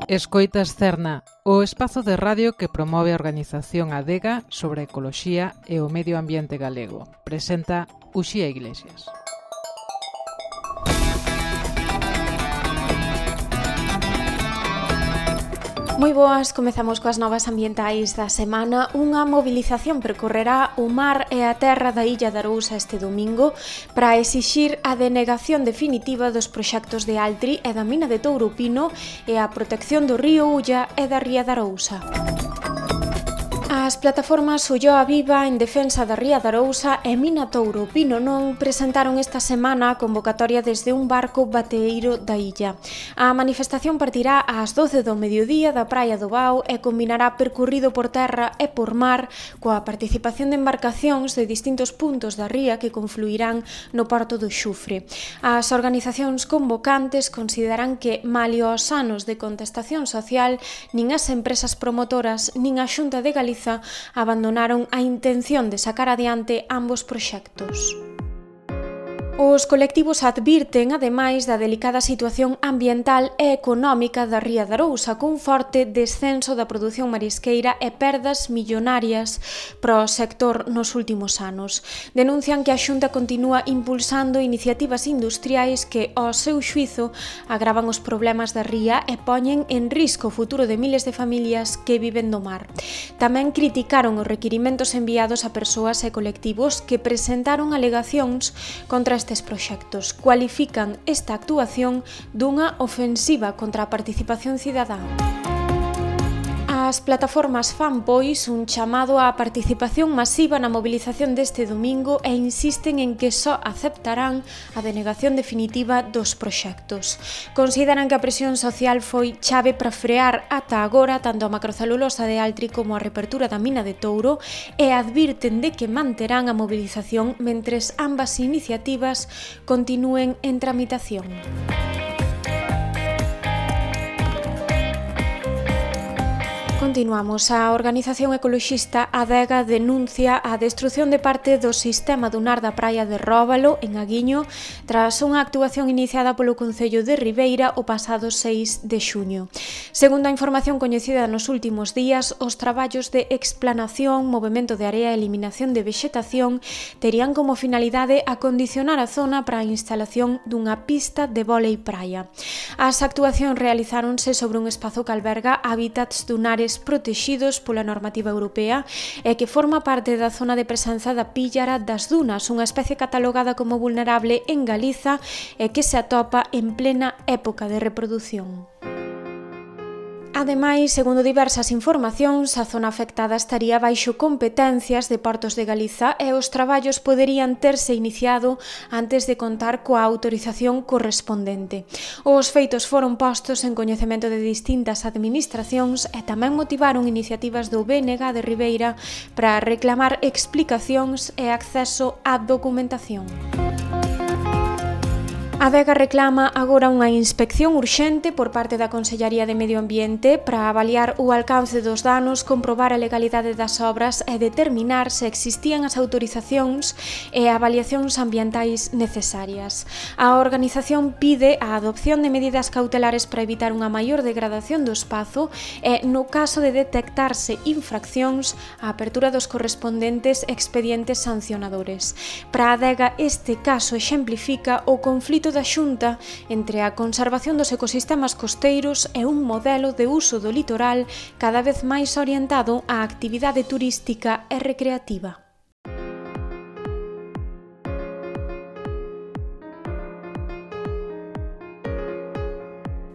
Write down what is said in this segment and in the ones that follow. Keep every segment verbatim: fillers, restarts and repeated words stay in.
Escoitas Cerna, o espazo de radio que promove a organización Adega sobre a ecoloxía e o medio ambiente galego. Presenta Uxía Iglesias. Moi boas, comezamos coas novas ambientais da semana. Unha mobilización percorrerá o mar e a terra da Illa de Arousa este domingo para exixir a denegación definitiva dos proxectos de Altri e da mina de Touro-Pino e a protección do río Ulla e da ría de Arousa. As plataformas Ulloa Viva en defensa da ría de Arousa e Mina Touro-Pino non presentaron esta semana a convocatoria desde un barco bateeiro da illa. A manifestación partirá ás doce do mediodía da Praia do Bao e combinará percorrido por terra e por mar coa participación de embarcacións de distintos puntos da ría que confluirán no porto do Xufre. As organizacións convocantes consideran que, malio aos anos de contestación social, nin as empresas promotoras nin a Xunta de Galicia abandonaron a intención de sacar adiante ambos proxectos. Os colectivos advirten, ademais, da delicada situación ambiental e económica da ría de Arousa, cun forte descenso da produción marisqueira e perdas millonarias para o sector nos últimos anos. Denuncian que a Xunta continúa impulsando iniciativas industriais que, ao seu xuízo, agravan os problemas da ría e poñen en risco o futuro de miles de familias que viven do mar. Tamén criticaron os requirimentos enviados a persoas e colectivos que presentaron alegacións contra estes proxectos. Cualifican esta actuación dunha ofensiva contra a participación cidadá. As plataformas fan, pois, un chamado á participación masiva na mobilización deste domingo e insisten en que só aceptarán a denegación definitiva dos proxectos. Consideran que a presión social foi chave para frear ata agora tanto a macrocelulosa de Altri como a reapertura da mina de Touro e advirten de que manterán a mobilización mentres ambas iniciativas continúen en tramitación. Continuamos. A organización ecoloxista Adega denuncia a destrución de parte do sistema dunar da praia de Róbalo, en Aguiño, tras unha actuación iniciada polo Concello de Ribeira o pasado seis de xuño. Segundo a información coñecida nos últimos días, os traballos de explanación, movemento de area e eliminación de vexetación terían como finalidade acondicionar a zona para a instalación dunha pista de vólei praia. As actuacións realizáronse sobre un espazo que alberga hábitats dunares protexidos pola normativa europea e que forma parte da zona de presenza da píllara das dunas, unha especie catalogada como vulnerable en Galiza e que se atopa en plena época de reprodución. Ademais, segundo diversas informacións, a zona afectada estaría baixo competencias de Portos de Galiza e os traballos poderían terse iniciado antes de contar coa autorización correspondente. Os feitos foron postos en coñecemento de distintas administracións e tamén motivaron iniciativas do B N G de Ribeira para reclamar explicacións e acceso á documentación. A Adega reclama agora unha inspección urxente por parte da Consellaría de Medio Ambiente para avaliar o alcance dos danos, comprobar a legalidade das obras e determinar se existían as autorizacións e avaliacións ambientais necesarias. A organización pide a adopción de medidas cautelares para evitar unha maior degradación do espazo e, no caso de detectarse infraccións, a apertura dos correspondentes expedientes sancionadores. Para a Adega, este caso exemplifica o conflito da Xunta entre a conservación dos ecosistemas costeiros e un modelo de uso do litoral cada vez máis orientado á actividade turística e recreativa.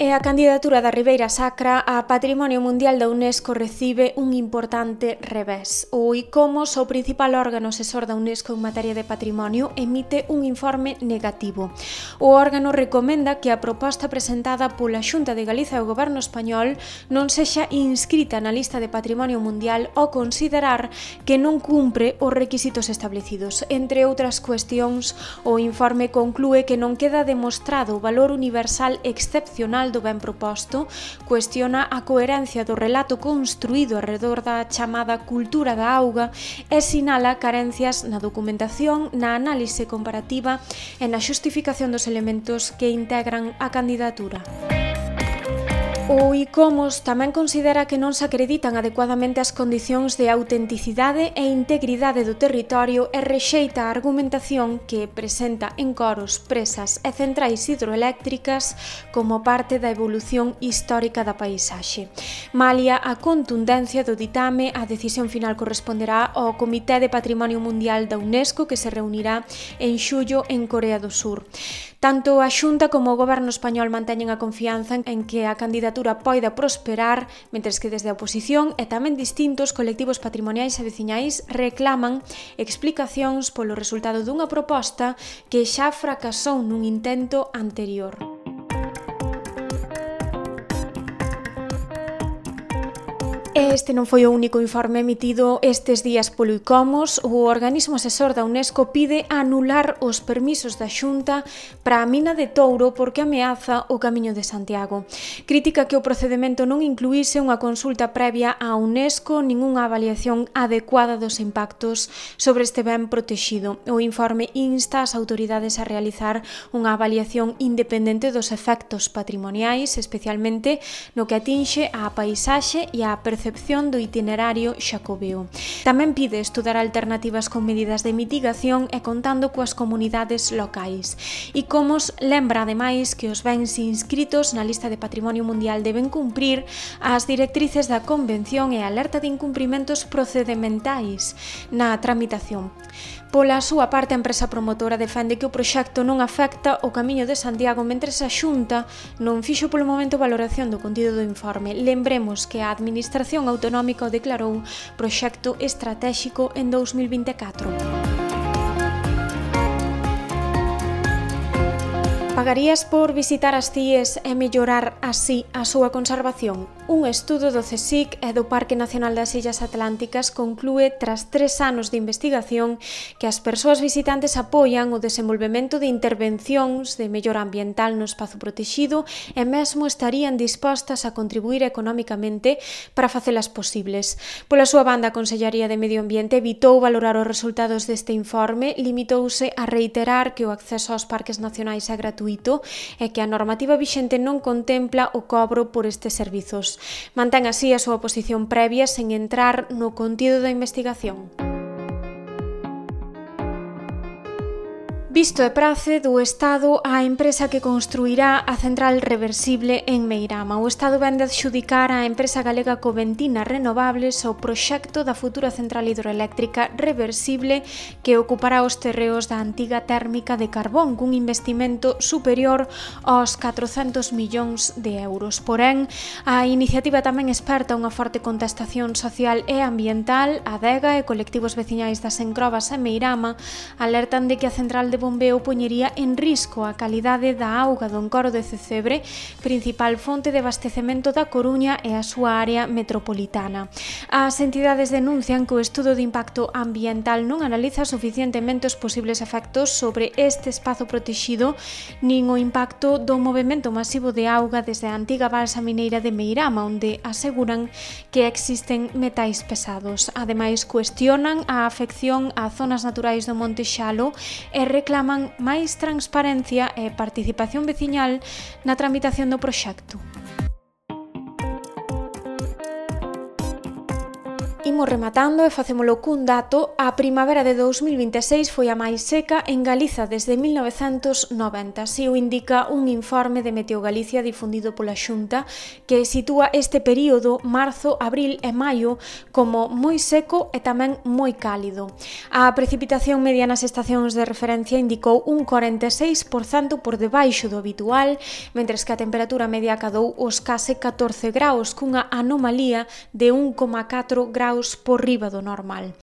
E a candidatura da Ribeira Sacra a Patrimonio Mundial da UNESCO recibe un importante revés. O ICOMOS, o principal órgano asesor da UNESCO en materia de patrimonio, emite un informe negativo. O órgano recomenda que a proposta presentada pola Xunta de Galiza e o Goberno español non sexa inscrita na lista de Patrimonio Mundial ao considerar que non cumpre os requisitos establecidos. Entre outras cuestións, o informe conclúe que non queda demostrado o valor universal excepcional do ben proposto, cuestiona a coherencia do relato construído alrededor da chamada cultura da auga e sinala carencias na documentación, na análise comparativa e na xustificación dos elementos que integran a candidatura. O ICOMOS tamén considera que non se acreditan adecuadamente as condicións de autenticidade e integridade do territorio e rexeita a argumentación que presenta encoros, presas e centrais hidroeléctricas como parte da evolución histórica da paisaxe. Malia a contundencia do ditame, a decisión final corresponderá ao Comité de Patrimonio Mundial da UNESCO que se reunirá en xullo en Corea do Sur. Tanto a Xunta como o Goberno español manteñen a confianza en que a candidatura poida prosperar, mentres que desde a oposición e tamén distintos colectivos patrimoniais e veciñais reclaman explicacións polo resultado dunha proposta que xa fracasou nun intento anterior. Este non foi o único informe emitido estes días polo ICOMOS. O organismo asesor da UNESCO pide anular os permisos da Xunta para a mina de Touro porque ameaza o Camiño de Santiago. Critica que o procedemento non incluíse unha consulta previa á UNESCO nin unha avaliación adecuada dos impactos sobre este ben protexido. O informe insta as autoridades a realizar unha avaliación independente dos efectos patrimoniais, especialmente no que atinxe á paisaxe e á percepción do itinerario xacobeo. Tamén pide estudar alternativas con medidas de mitigación e contando coas comunidades locais. ICOMOS lembra ademais que os bens inscritos na lista de Patrimonio Mundial deben cumprir as directrices da Convención e alerta de incumprimentos procedementais na tramitación. Pola súa parte, a empresa promotora defende que o proxecto non afecta o Camiño de Santiago mentres a Xunta non fixo polo momento valoración do contido do informe. Lembremos que a Administración Autonómica o declarou proxecto estratéxico en dous mil vinte e catro. Pagarías por visitar as cíes e mellorar así a súa conservación? Un estudo do CSIC e do Parque Nacional das Illas Atlánticas conclúe, tras tres anos de investigación, que as persoas visitantes apoian o desenvolvemento de intervencións de mellora ambiental no espazo protexido e mesmo estarían dispostas a contribuir económicamente para facelas posibles. Pola súa banda, a Consellaría de Medio Ambiente evitou valorar os resultados deste informe, limitouse a reiterar que o acceso aos parques nacionais é gratuito e que a normativa vixente non contempla o cobro por estes servizos. Mantén así a súa posición previa sen entrar no contido da investigación. Visto e prace do Estado á empresa que construirá a central reversible en Meirama. O Estado vende adxudicar á empresa galega Coventina Renovables o proxecto da futura central hidroeléctrica reversible que ocupará os terreos da antiga térmica de carbón cun investimento superior aos catrocentos millóns de euros. Porén, a iniciativa tamén esperta unha forte contestación social e ambiental. Adega e colectivos veciñais das Encrobas e Meirama alertan de que a central de bombeo poñería en risco a calidade da auga do encoro de Cecebre, principal fonte de abastecemento da Coruña e a súa área metropolitana. As entidades denuncian que o estudo de impacto ambiental non analiza suficientemente os posibles efectos sobre este espazo protexido nin o impacto do movemento masivo de auga desde a antiga balsa mineira de Meirama, onde aseguran que existen metais pesados. Ademais, cuestionan a afección a zonas naturais do Monte Xalo e reclaman máis transparencia e participación veciñal na tramitación do proxecto. Imos rematando e facémolo cun dato. A primavera de dous mil vinte e seis foi a máis seca en Galiza desde mil novecentos noventa. Así o indica un informe de Meteo Galicia difundido pola Xunta que sitúa este período, marzo, abril e maio, como moi seco e tamén moi cálido. A precipitación media nas estacións de referencia indicou un corenta e seis por cento por debaixo do habitual, mentres que a temperatura media acadou os case catorce graus, cunha anomalía de un coma catro graus por riba do normal.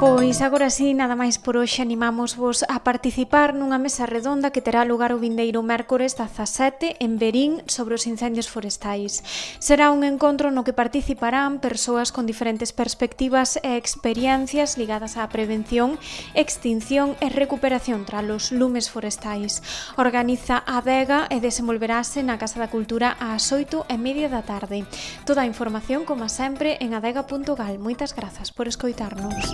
Pois agora sí, nada máis por hoxe. Animámosvos a participar nunha mesa redonda que terá lugar o vindeiro mércores dezasete en Verín sobre os incendios forestais. Será un encontro no que participarán persoas con diferentes perspectivas e experiencias ligadas á prevención, extinción e recuperación tras os lumes forestais. Organiza a Adega e desenvolverase na Casa da Cultura ás oito e media da tarde. Toda a información, como sempre, en adega punto gal. Moitas grazas por escoitarnos.